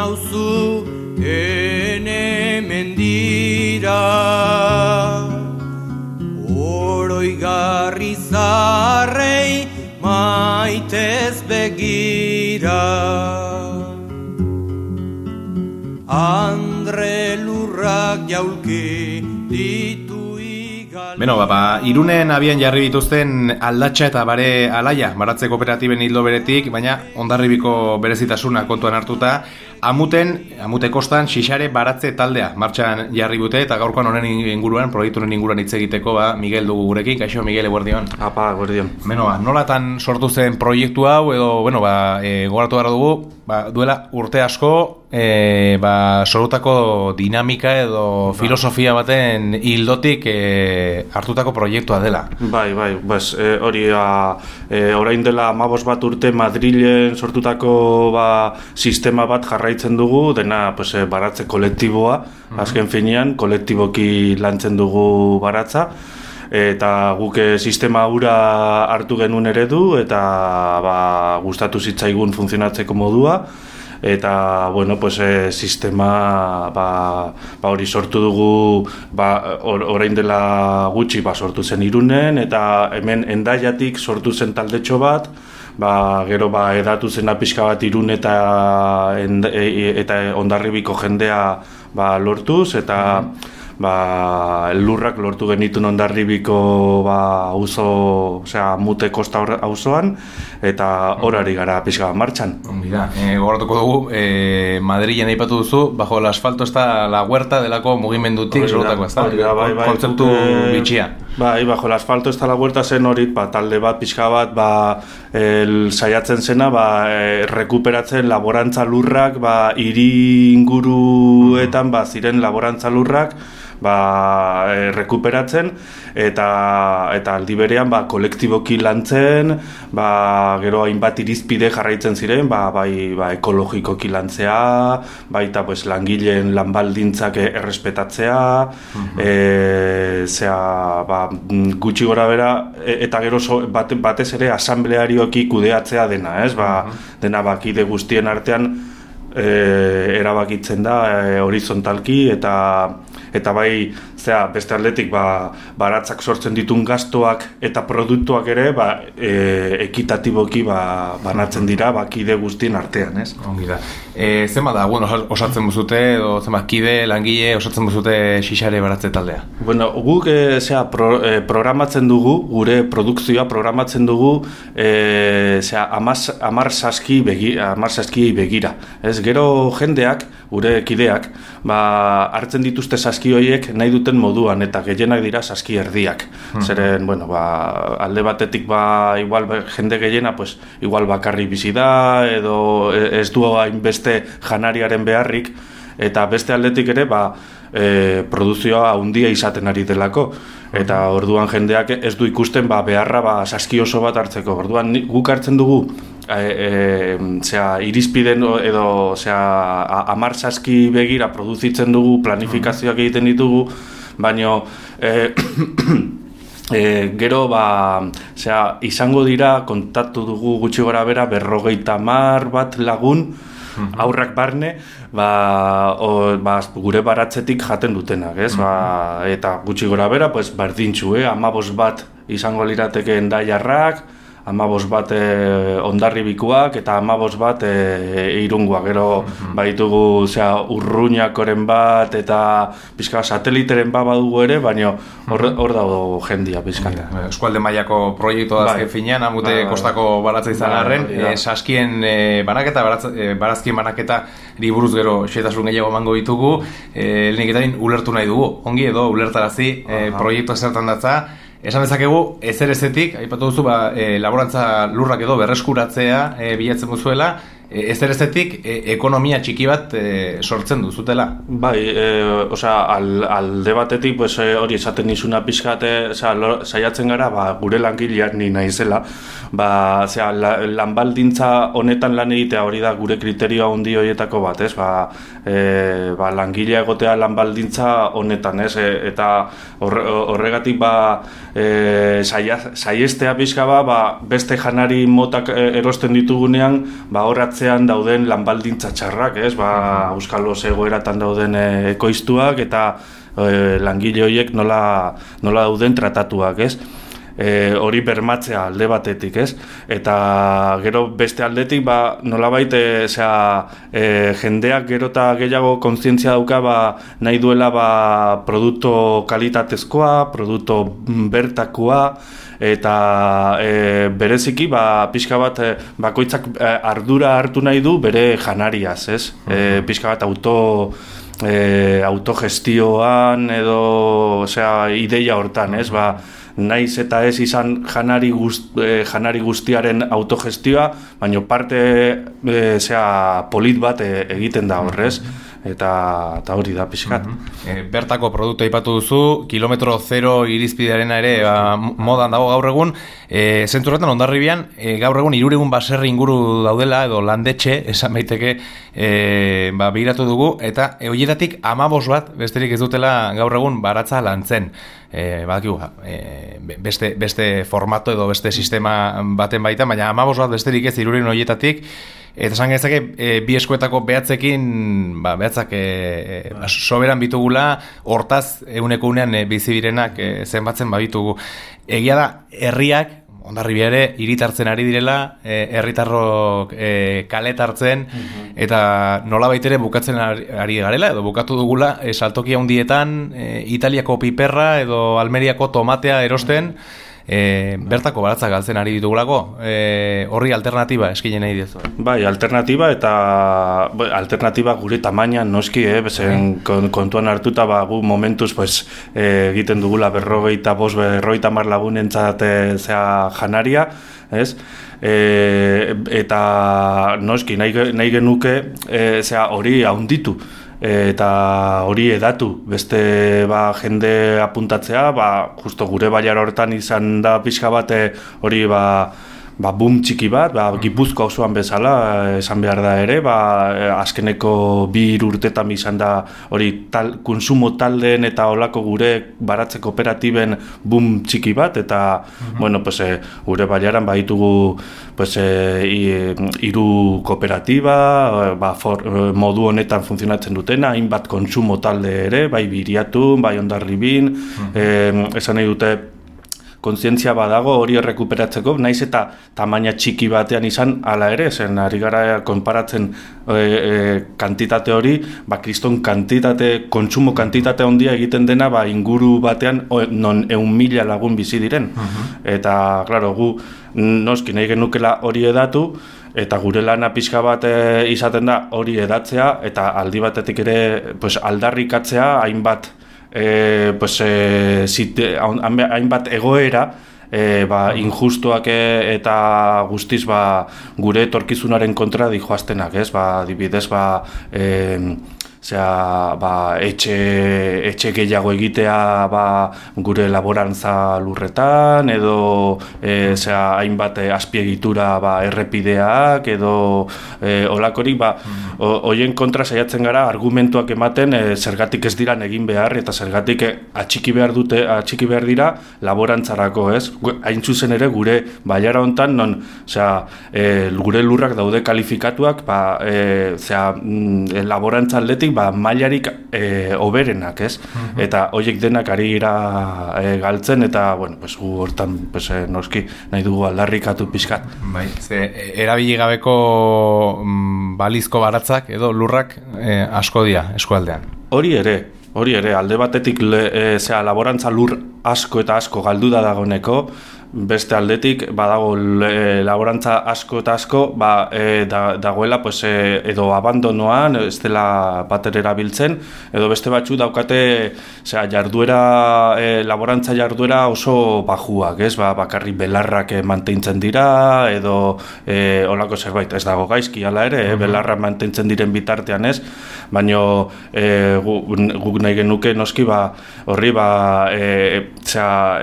nauzu ene mendira, oroigarri zarrei maitez begira. Andre lurrak jaulki ditu. Beno, Irunen abian jarri dituzten Aldatxa eta Bare Alaia, baratze kooperatiben hildo beretik, baina Hondarribiko berezitasuna kontuan hartuta, Amute kostan Xixare baratze taldea martxan jarri dute, eta gaurkoan honen inguruan, proiektu honen inguruan hitz egiteko, Miguel dugu gurekin. Kaixo, Miguel, eguerdion. Apa, eguerdion. Beno, nolatan sortu zen proiektu hau, edo, gogoratu gara dugu, duela urte asko, sorutako dinamika edo filosofia baten hildotik hartutako proiektua dela. Bai, hori orain dela 15 bat urte Madrilen sortutako sistema bat jarraitzen dugu, dena baratze kolektiboa, azken finean kolektiboki lantzen dugu baratza, eta guk sistema hura hartu genuen eredu, eta gustatu zitzaigun funtzionatzeko modua, eta sistema hori sortu dugu orain dela gutxi sortu zen Irunen, eta hemen Hendaiatik sortu zen taldetxo bat, gero edatu zena pixka bat Irun eta Hondarribiko jendea lortuz, eta lurrak lortu genitun Hondarribiko Amute kosta auzoan, eta horari gara pixka martxan. Gogoratuko dugu, Madrilen aipatu duzu, bajo el asfalto está la huerta delako mugimendutik sorotako, ez da? Kontzeptu bitxia. Bajo el asfalto está la huerta zen hori, talde bat, pixka bat, saiatzen zena, rekuperatzen laborantza lurrak, hiri inguruetan, ziren laborantza lurrak, rekuperatzen, eta aldi berean kolektiboki lantzen, gero hainbat irizpide jarraitzen ziren, ekologikoki lantzea, baita langileen lanbaldintzak errespetatzea, gutxi gora bera, eta gero batez ere asamblearioki kudeatzea dena, dena kide guztien artean erabakitzen da horizontalki, eta beste aldetik baratzak sortzen ditun gastoak eta produktuak ere ekitatiboki banatzen dira kide guztien artean, ez? Ongi da. Zenbat da, osatzen buzute, edo zenbat kide, langile, osatzen buzute Xixare baratze taldea? Guk programatzen dugu, gure produkzioa programatzen dugu 10 saskiei begira. Gero jendeak, gure kideak, hartzen dituzte saski horiek nahi duten moduan, eta gehienak dira saski erdiak. Zeren, alde batetik igual jende gehiena, igual bakarri bizi da, edo ez du hainbeste janariaren beharrik, eta beste aldetik ere, produzioa handia izaten ari delako. Eta orduan jendeak ez du ikusten beharra saski oso bat hartzeko. Orduan guk hartzen dugu irizpiden edo 10 saski begira produzitzen dugu, planifikazioak egiten ditugu, baina gero izango dira, kontaktu dugu gutxi gora bera 50 bat lagun, aurrak barne, gure baratzetik jaten dutenak, ez? Eta gutxi gora bera, berdintxu, 15 bat izango lirateke Hendaiarrak, 15 bat Hondarribikoak, eta 15 bat Irungoak. Gero baitugu Urruñakoren bat, eta pixka sateliteren badugu ere, baina hor dago jendia pixka. Eskualde mailako proiektua da azken finean, Amute kostako baratza izan arren, saskien banaketa, barazkien banaketa buruz gero xetasun gehiago emango ditugu, lehenik eta ulertu nahi dugu, ongi edo ulertarazi proiektua zertan datza. Esan dezakegu, ezer ezetik, aipatu duzu, laborantza lurrak edo berreskuratzea bilatzen duzuela, ezer ezetik ekonomia txiki bat sortzen duzutela. Alde batetik hori esaten nizuna pixkate, saiatzen gara, gure langileak ni naizela, lanbaldintza honetan lan egitea hori da gure kriterioa handi horietako bat, ez? Langilea egotea lanbaldintza honetan, ez? Eta horregatik saiestea pixka beste janari motak erosten ditugunean, horratz atzean dauden lanbaldintza txarrak, ez? Auskalo egoeratan dauden ekoiztuak eta langile horiek nola dauden tratatuak, ez? Hori bermatzea alde batetik, ez? Eta gero beste aldetik nolabait jendeak gero eta gehiago kontzientzia dauka nahi duela produktu kalitatezkoa, produktu bertakoa, eta bereziki pixka bat bakoitzak ardura hartu nahi du bere janariaz, ez? Pixka bat autogestioan edo ideia hortan, ez? Naiz eta ez izan janari guztiaren autogestioa, baina parte polit bat egiten da horrez, eta hori da pixkat. Bertako produktu aipatu duzu, kilometro zero irizpidearena ere modan dago gaur egun. Zenturretan Hondarribian gaur egun 300 baserri inguru daudela, edo landetxe, esan baiteke begiratu dugu, eta horietatik 15 bat, besterik ez dutela gaur egun baratza lantzen. Beste formato edo beste sistema baten baita, baina 15 bat besterik ez 300 horietatik. Eta esan genezake, bi eskuetako behatzak soberan bitugula, hortaz egunean bizi direnak zenbatzen baditugu. Egia da, herriak, Hondarribia ere, hiritartzen ari direla, herritarrok kalet hartzen, eta nolabait ere bukatzen ari garela, edo bukatu dugula, saltoki handietan, Italiako piperra edo Almeriako tomatea erosten, bertako baratzak galtzen ari ditugulako, horri alternatiba eskinen nahi dizu. Bai, alternatiba gure tamainan noski, kontuan hartuta gu momentuz egiten dugula 45-50 lagunentzat janaria, ez? Eta noski nahi genuke hori haunditu eta hori edatu, beste jende apuntatzea, justo gure bailara hortan izan da pixka bat hori boom txiki bat, Gipuzkoa osoan bezala, esan behar da ere, azkeneko 2 urtetan izan da hori konsumo taldeen eta olako gure baratze kooperatiben boom txiki bat, eta gure baiaran baditugu 3 kooperatiba, modu honetan funtzionatzen dutena, hainbat konsumo talde ere, bai Biriatun, bai Hondarribin, esan nahi dute kontzientzia badago hori errekuperatzeko, naiz eta tamaina txiki batean izan hala ere, zen ari gara konparatzen kantitate hori, kriston kantitate, kontsumo kantitate handia egiten dena inguru batean non 100.000 lagun bizi diren. Eta, klaro, gu noski nahi genukela hori edatu, eta gure lana pixka bat izaten da hori edatzea, eta aldi batetik ere aldarrikatzea hainbat hainbat egoera injustuak eta guztiz gure etorkizunaren kontra dijoaztenak, ez? Adibidez, etxe gehiago egitea gure laborantza lurretan, edo hainbat azpiegitura errepideak, edo olakorik, hoien kontra saiatzen gara argumentuak ematen zergatik ez diran egin behar, eta zergatik atxiki behar dira laborantzarako, ez? Hain zuzen ere gure bailara hontan, non gure lurrak daude kalifikatuak laborantza aldetik mailarik oberenak, ez? Eta horiek denak ari gira galtzen, eta gu hortan noski nahi dugu aldarrikatu pixkat. Erabili gabeko balizko baratzak edo lurrak asko dira eskualdean. Hori ere, alde batetik laborantza lur asko eta asko galdu da dagoeneko, beste aldetik badago laborantza asko eta asko dagoela edo abandonoan, ez dela bater erabiltzen, edo beste batzu daukate laborantza jarduera oso bajuak, ez? Bakarrik belarrak mantentzen dira, edo olako zerbait, ez dago gaizki hala ere, belarrak mantentzen diren bitartean, ez? Baina guk nahi genuke noski horri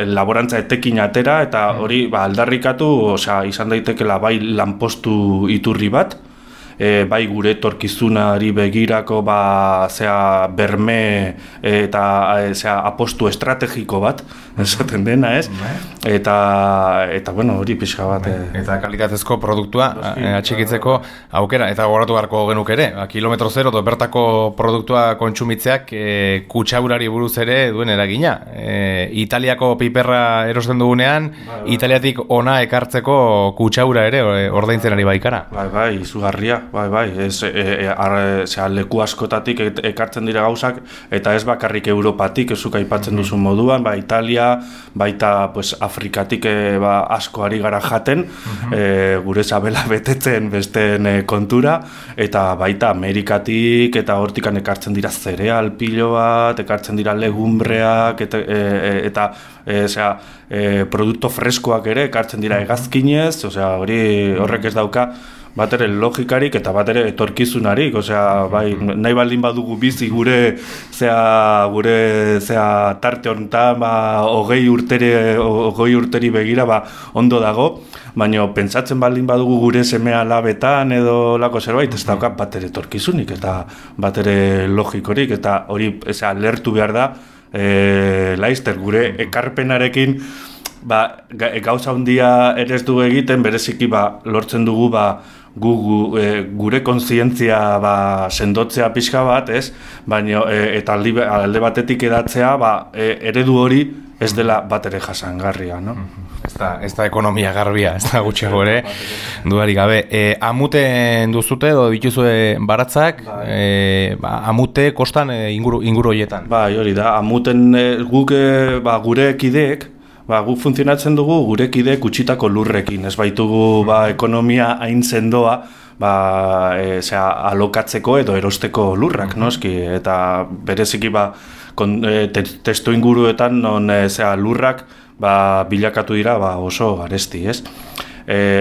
laborantza etekin atera, eta hori aldarrikatu, izan daitekela bai lanpostu iturri bat, bai gure etorkizunari begirako zea berme eta apostu estrategiko bat esaten dena, ez? Eta bueno, hori pixka bat eta kalitatezko produktua atxikitzeko aukera, eta gogoratu beharko genuk ere, kilometro zero bertako produktua kontsumitzeak kutsaurari buruz ere duen eragina. Italiako piperra erosten dugunean, Italiatik ona ekartzeko kutsaura ere ordaintzen ari baikara. Bai, izugarria. Bai, leku askotatik ekartzen dira gauzak, eta ez bakarrik Europatik, ezuk aipatzen duzun moduan, Italia, baita Afrikatik asko ari gara jaten, gure sabela betetzen besteen kontura, eta baita Amerikatik, eta hortikan ekartzen dira zereal pilo bat, ekartzen dira legumbreak, eta produkto freskoak ere ekartzen dira hegazkinez, horrek ez dauka bat ere logikarik eta bat ere etorkizunarik, bai, nahi baldin badugu bizi gure tarte honetan, 20 urteri begira, ondo dago, baina pentsatzen baldin badugu gure semea labetan edo lako zerbait, ez dauka bat ere etorkizunik eta bat ere logikorik, eta hori lertu behar da, laizter, gure ekarpenarekin, gauza handia ere ez dugu egiten, bereziki lortzen dugu gure kontzientzia sendotzea pixka bat, ez? Baina eta alde batetik edatzea eredu hori ez dela bat ere jasangarria, no? Ez da ekonomia garbia, ez da gutxiago ere, dudarik gabe. Amuten duzute edo dituzue baratzak, amute kostan inguru horietan? Bai, hori da, amuten gure kideek, guk funtzionatzen dugu gure kideek utzitako lurrekin, ez baitugu ekonomia hain sendoa alokatzeko edo erosteko lurrak, noski, eta bereziki testu inguruetan non lurrak bilakatu dira oso garesti, ez?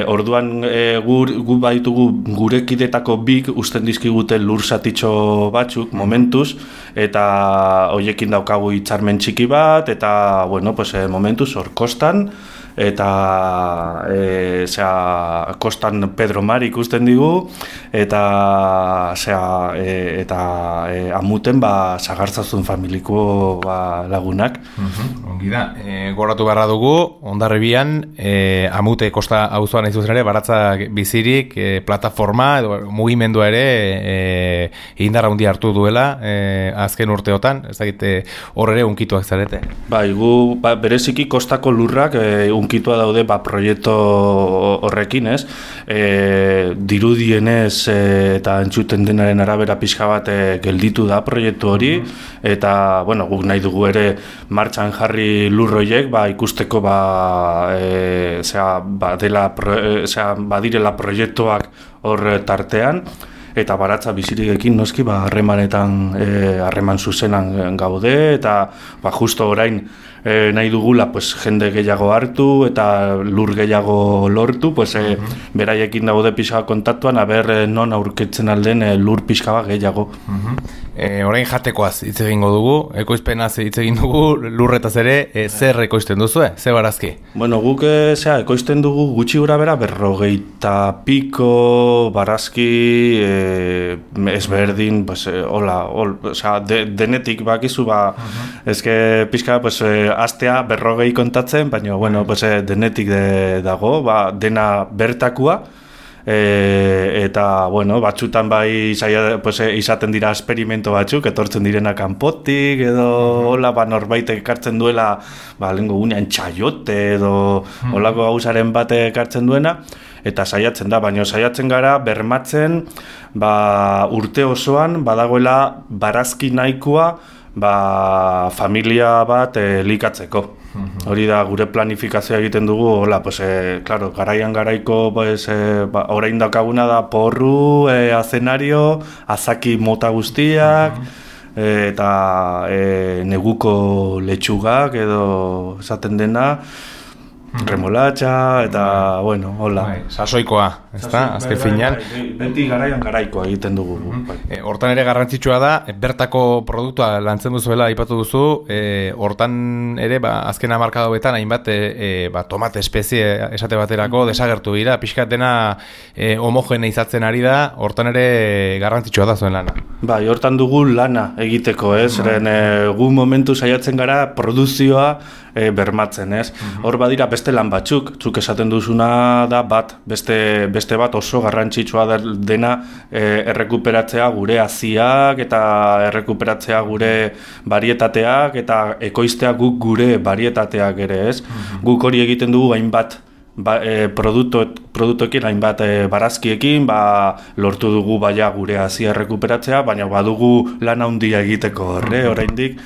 Orduan gu baitugu gure kidetako bik usten dizkigute lur zatitxo batzuk momentuz, eta hoiekin daukagu hitzarmen txiki bat, eta momentuz hor kostan, eta kostan Pedro Mari ikusten digu, eta amuten Sagartzazun familiko lagunak. Ongi da, goratu beharra dugu, Hondarribian, amute kosta auzoan aizu ere, baratza bizirik, plataforma edo mugimendua ere indarra handia hartu duela azken urteotan, ez dakit hor ere unkituak zarete. Bai, gu bereziki kostako lurrak unkitua daude proiektu horrekin, ez? Dirudienez eta entzuten denaren arabera pixka bat gelditu da proiektu hori, eta guk nahi dugu ere martxan jarri lurroiek ikusteko badirela proiektuak hor tartean, eta baratza bizirikekin noski harreman zuzenan gaude, eta justo orain nahi dugula jende gehiago hartu eta lur gehiago lortu, beraiekin daude pixka kontaktuan, non aurkitzen alden lur pixka gehiago. Orain jatekoaz hitz egingo dugu, ekoizpenaz hitz egin dugu, lurretaz ere, zer ekoizten duzue, ze barazki? Guk ekoizten dugu gutxi gura bera 50 piko barazki ezberdin, denetik bakizu, ezke pixka astea 40 kontatzen, baina denetik dago, dena bertakua, eta batzutan izaten dira esperimento batzuk, etortzen direna kanpotik edo norbait ekartzen duela lehenko gunean txaiote edo holako gauzaren bat ekartzen duena, eta saiatzen da, baina saiatzen gara bermatzen urte osoan badagoela barazki nahikoa familia bat elikatzeko. Hori da, gure planifikazioa egiten dugu, garaian garaiko, orain daukaguna da porru, azenario, azaki mota guztiak, eta neguko letxugak edo esaten dena, remolatxa, eta, hola. Sasoikoa, ezta? Azken finean beti garaian garaikoa egiten dugu. Hortan ere garrantzitsua da bertako produktua lantzen duzuela aipatu duzu, hortan ere azken hamarkada hauetan hainbat tomate espezie esate baterako desagertu dira, pixkat dena homogeneizatzen ari da, hortan ere garrantzitsua da zuen lana. Bai, hortan dugu lana egiteko, zeren gu momentu saiatzen gara produzioa bermatzen, Hor badira beste lan batzuk, zuk esaten duzuna da beste bat oso garrantzitsua dena errekuperatzea gure haziak eta errekuperatzea gure barietateak eta ekoiztea guk gure barietateak ere, Guk hori egiten dugu hainbat produktuekin, hainbat barazkiekin, lortu dugu gure hazia errekuperatzea, baina badugu lan handia egiteko oraindik.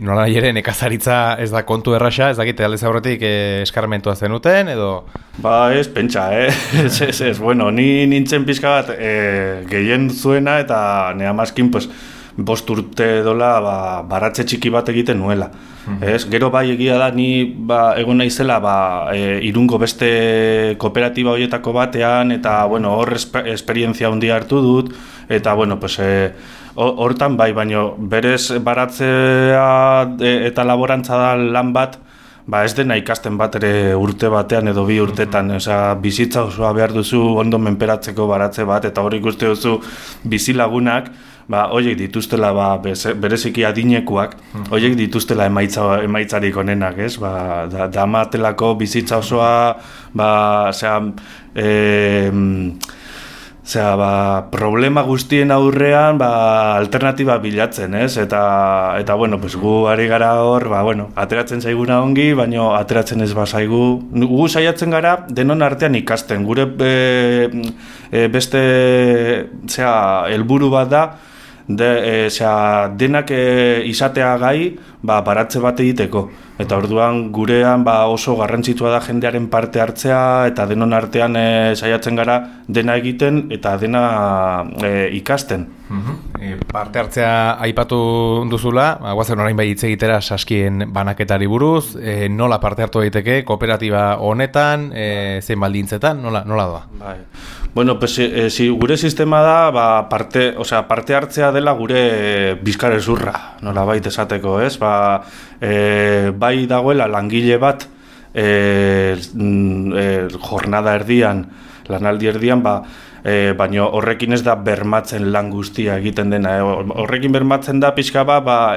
Nola ere nekazaritza ez da kontu erraxa, ez dakite aldez aurretik eskarmentua zenuten edo? Ez, pentsa, ez, bueno, ni nintzen pixka bat gehien zuena eta nea maskin, 5 urte dola baratze txiki bat egiten nuela. Gero egia da, ni egon naizela Irungo beste kooperatiba horietako batean eta hor esperientzia handia hartu dut eta hortan baina berez baratzea eta laborantza da lan bat ez dena ikasten bat ere urte batean edo 2 urtetan, bizitza osoa behar duzu ondo menperatzeko baratze bat eta hori ikuste duzu bizilagunak horiek dituztela bereziki adinekuak, horiek dituztela emaitzarik onenak, damatelako bizitza osoa problema guztien aurrean alternatiba bilatzen, eta gu ari gara hor, ateratzen zaiguna ongi, baina ateratzen ez bazaigu. Gu saiatzen gara denon artean ikasten, gure beste helburu bat da, denak izatea gai baratze bat egiteko. Eta orduan gurean oso garrantzitsua da jendearen parte hartzea eta denon artean saiatzen gara dena egiten eta dena ikasten. Parte hartzea aipatu duzula, guazen orain hitz egitera saskien banaketari buruz, nola parte hartu daiteke kooperatiba honetan, zein baldintzetan, nola doa? Bueno, gure sistema da parte hartzea dela gure bizkarrezurra, nola baita esateko, bai dagoela langile bat jornada erdian, lanaldi erdian, baina horrekin ez da bermatzen lan guztia egiten dena. Horrekin bermatzen da pixka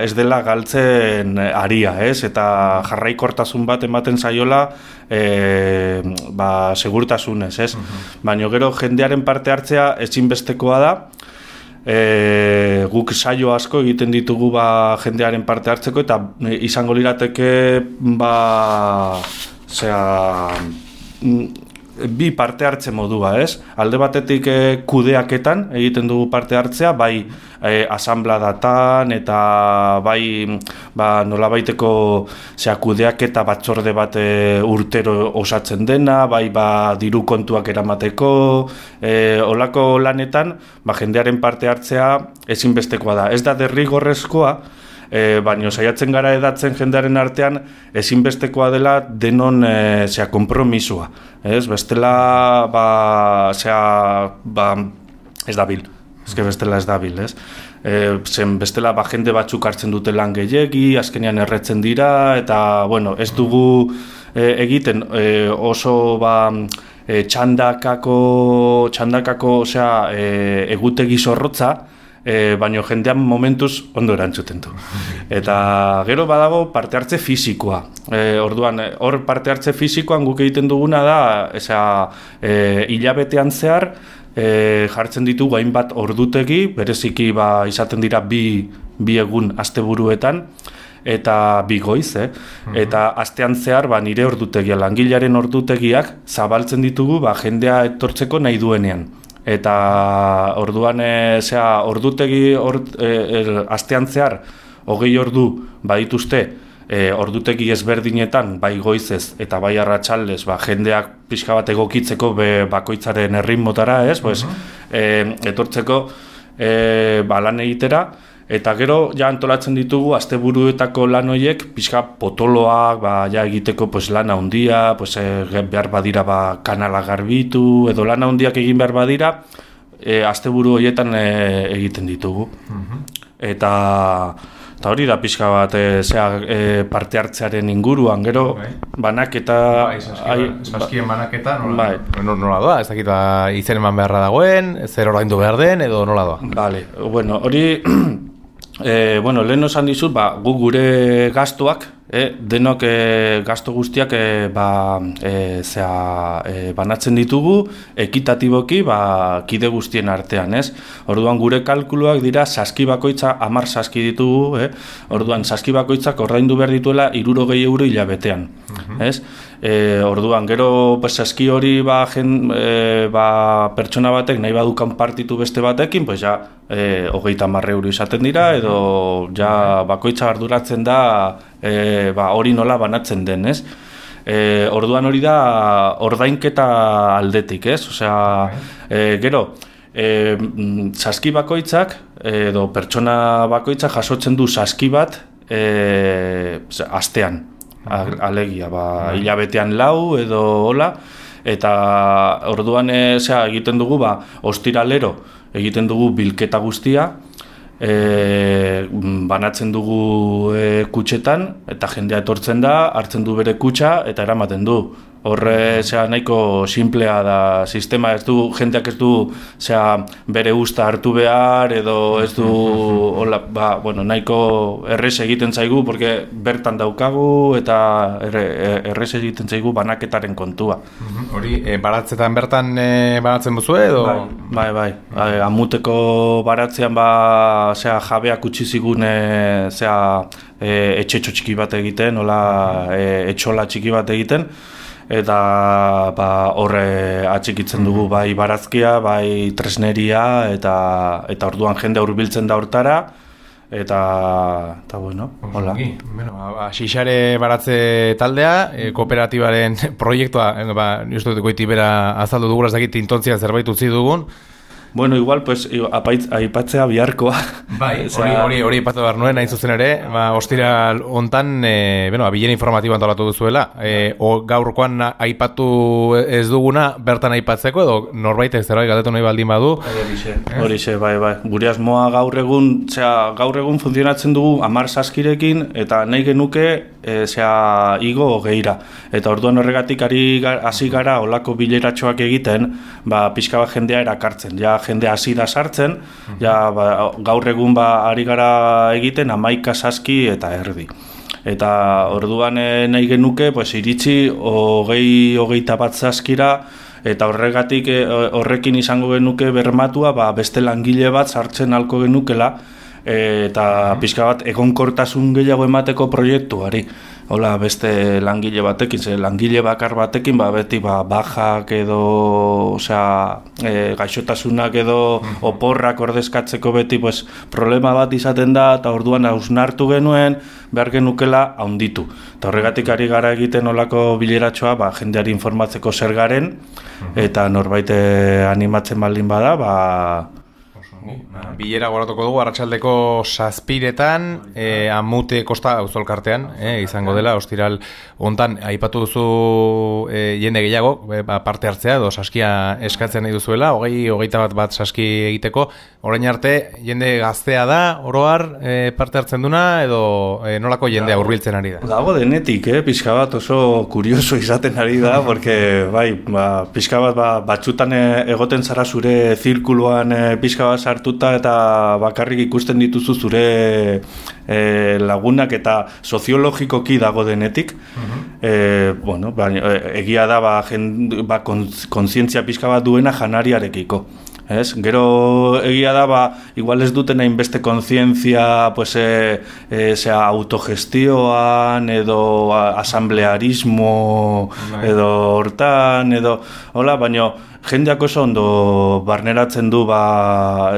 ez dela galtzen aria, eta jarraikortasun bat ematen zaiola segurtasunez, Baina gero jendearen parte hartzea ezinbestekoa da, guk saio asko egiten ditugu jendearen parte hartzeko eta izango lirateke bi parte hartze modua, Alde batetik kudeaketan egiten dugu parte hartzea, bai asambladatan eta bai nolabaiteko kudeaketa batzorde bat urtero osatzen dena, bai diru kontuak eramateko, olako lanetan jendearen parte hartzea ezinbestekoa da. Ez da derrigorrezkoa, baina saiatzen gara edatzen jendearen artean ezinbestekoa dela denon konpromisua. Bestela ez dabil. Bestela ez dabil, bestela jende batzuk hartzen dute lan gehiegi, azkenean erretzen dira, eta ez dugu egiten oso txandakako egutegi zorrotza, baina jendean momentuz ondo erantzuten du. Eta gero badago parte hartze fisikoa. Orduan, hor parte hartze fisikoan guk egiten duguna da, hilabetean zehar, jartzen ditugu hainbat ordutegi, bereziki izaten dira bi egun asteburuetan, eta 2 goiz, eta astean zehar nire ordutegia, langilearen ordutegiak zabaltzen ditugu jendea etortzeko nahi duenean. Eta orduan ordutegi astean zehar 20 ordu badituzte ordutegi ezberdinetan, bai goizez eta bai arratsaldez, jendeak pixka bat egokitzeko bakoitzaren erritmotara, etortzeko lan egitera, Eta gero, ja antolatzen ditugu, asteburuetako lan horiek, pixka potoloak, ja egiteko lan handia, behar badira kanala garbitu, edo lan handiak egin behar badira, asteburu horietan egiten ditugu. Eta hori da pixka bat parte hartzearen inguruan, gero banaketa... Saskien banaketa nola doa? Ez dakit izen eman beharra dagoen, zer oraindu behar den, edo nola doa? Bale, hori... lehen esan dizut, gu gure gastuak, denok gastu guztiak banatzen ditugu ekitatiboki kide guztien artean, ez? Orduan gure kalkuluak dira saski bakoitza 10 saski ditugu, orduan saski bakoitzak ordaindu behar dituela 60 euro hilabetean, ez? Orduan gero saski hori pertsona batek nahi badukan partitu beste batekin, 30 euro izaten dira, edo bakoitza arduratzen da hori nola banatzen den, ez? Orduan hori da ordainketa aldetik, ez? Osea, gero, saski bakoitzak, edo pertsona bakoitzak jasotzen du saski bat astean, alegia, hilabetean 4 edo hola, eta orduan egiten dugu, ostiralero egiten dugu bilketa guztia, banatzen dugu kutxetan, eta jendea etortzen da, hartzen du bere kutxa, eta eramaten du. Horre nahiko simplea da sistema, jendeak ez du bere usta hartu behar, edo ez du nahiko errez egiten zaigu, porque bertan daukagu, eta errez egiten zaigu banaketaren kontua. Hori, baratzetan bertan banatzen duzu, edo? Bai, amuteko baratzean jabeak utzi zigun etxetxo txiki bat egiten, etxola txiki bat egiten, eta horre atxikitzen dugu bai barazkia, bai tresneria, eta orduan jende hurbiltzen da hortara, eta bueno, hola. Xixare baratze taldea, kooperatibaren proiektua, uste dut goitibera azaldu dugula, ez dakit intontzia zerbait utzi dugun. Bueno, igual, aipatzea biharkoa. Bai, hori aipatu behar nuen, hain zuzen ere, ostiral hontan, bilera informatiboa antolatu duzuela. Gaurkoan aipatu ez duguna, bertan aipatzeko, edo norbait zerbait galdetu nahi baldin badu. Horixe, bai. Gure asmoa gaur egun funtzionatzen dugu 10 saskirekin, eta nahi genuke igo 20. Eta orduan horregatik hasi gara olako bileratxoak egiten, pixka bat jendea erakartzen. Jende hasi da sartzen, gaur egun ari gara egiten 11 saski eta erdi. Eta orduan nahi genuke iritsi 20-21 saskira, eta horregatik horrekin izango genuke bermatua beste langile bat sartzen halko genukela, eta pixka bat egonkortasun gehiago emateko proiektuari. Hola, beste langile batekin, langile bakar batekin, beti bajak edo, gaixotasunak edo oporrak ordezkatzeko beti problema bat izaten da, eta orduan hausnartu genuen, behar genukela handitu. Eta horregatik ari gara egiten olako bileratxoa, jendeari informatzeko zer garen, eta norbait animatzen baldin bada, bilera goratuko dugu, arratsaldeko 7:00 Amute Kosta auzolkartean, izango dela, ostiral hontan aipatu duzu jende gehiago, parte hartzea, edo saskia eskatzen nahi duzuela, 20-21 bat saski egiteko, orain arte, jende gaztea da, oroar parte hartzen duna, edo nolako jendea hurbiltzen ari da? Dago denetik, pixka bat oso kurioso izaten ari da, porque pixka bat batzutan egoten zara zure zirkuluan pixka bat sartuta, eta bakarrik ikusten dituzu zure lagunak, eta soziologikoki dago denetik. Egia da kontzientzia pixka bat duena janariarekiko. Gero egia da, igual ez duten hainbeste kontzientzia autogestioan, edo asamblearismo, edo hortan, edo hola, baina jendeak oso ondo barneratzen du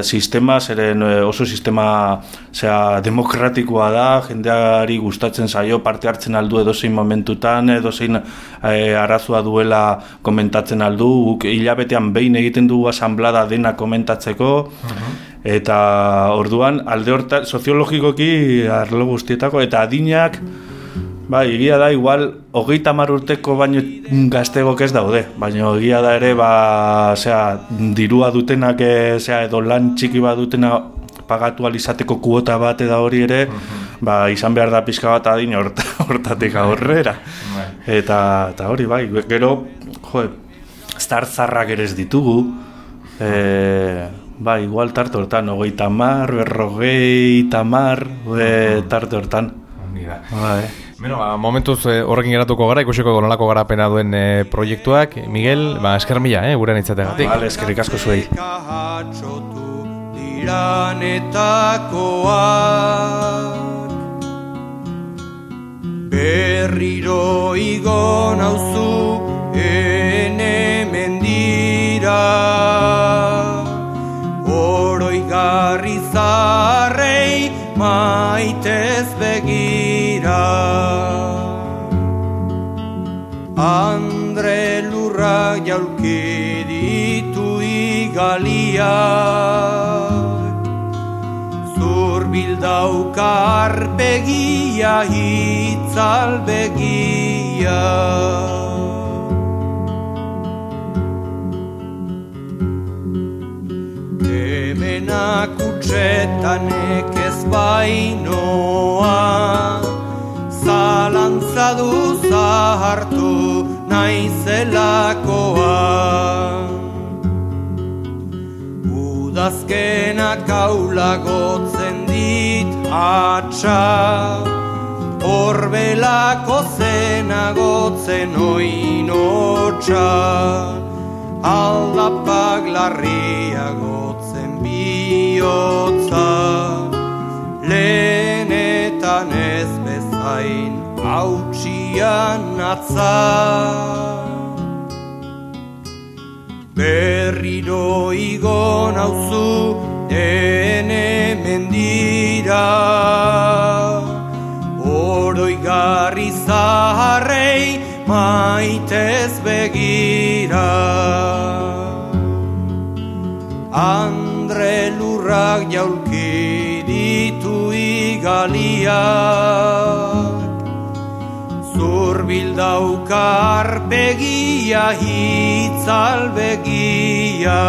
sistema, zeren oso sistema demokratikoa da, jendeari gustatzen zaio, parte hartzen aldu edozein momentutan, edozein arazoa duela komentatzen aldu, guk hilabetean behin egiten dugu asanblada dena komentatzeko, eta orduan alde hortan soziologikoki arlo guztietako, eta adinak, egia da, igual, 30 urteko baino gaztegok ez daude, baina egia da ere, dirua dutenak, edo lan txiki bat dutena pagatu alizateko kuota bat eda hori ere, izan behar da pixka bat adin hortatik aurrera. Eta hori, gero, zarrak ere ez ditugu, igual tarte hortan, 30, 40, tarte hortan. Momentuz horrekin geratuko gara, ikusiko nolako garapena duen proiektuak. Miguel, esker mila, gurean itzategatik. Eskerrik asko zuei. Berriro igo nauzu ene mendira, oroigarri zarrei maitez begira. Andre lurra jaulki ditu igaliak, zurbildaukar begia hitzal begia. Hemenak utzetanek ez bainoa, zalantza du zahartu naizelakoa. Udazkenak aulagotzen dit atxa, horbelako zenagotzen oinotxa, aldapak larriagotzen bihotza, lehenetan ez bezain hautsian atza. Berriro igo nauzu ene mendira, oroigarri zaharrei maitez begira. Andre lurrak jaulki ditu igaliak, zurbildaukar begia hitzal begia.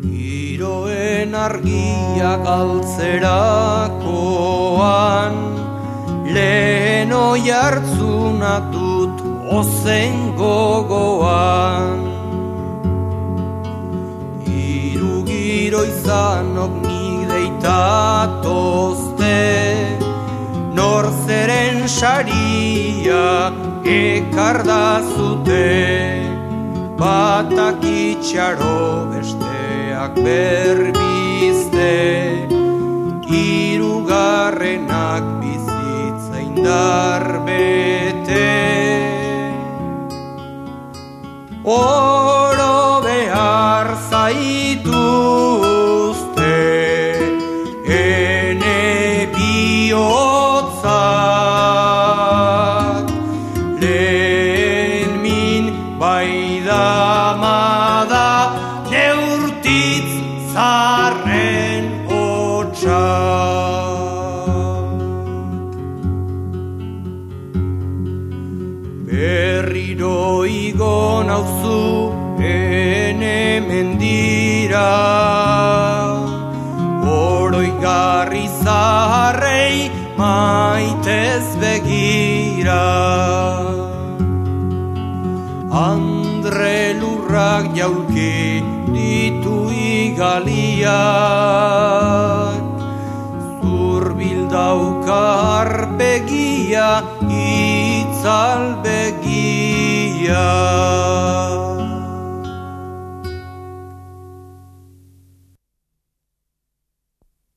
Giroen argiak altzerakoan, lehen oihartzuna dut ozen gogoan. Hiru giro izanok nik deitatozte, nor zeren saria ekardazute, batak itxaro besteak berbizte, hirugarrenak bizitza indar bete. Oro behar zaituzte ene bihotzak, lehen min baidamada neurtitz zarren hotxak. Berriro igo nauzu ene mendira, oroigarri zaharrei maitez begira. Andre lurrak jaulki ditu igaliak,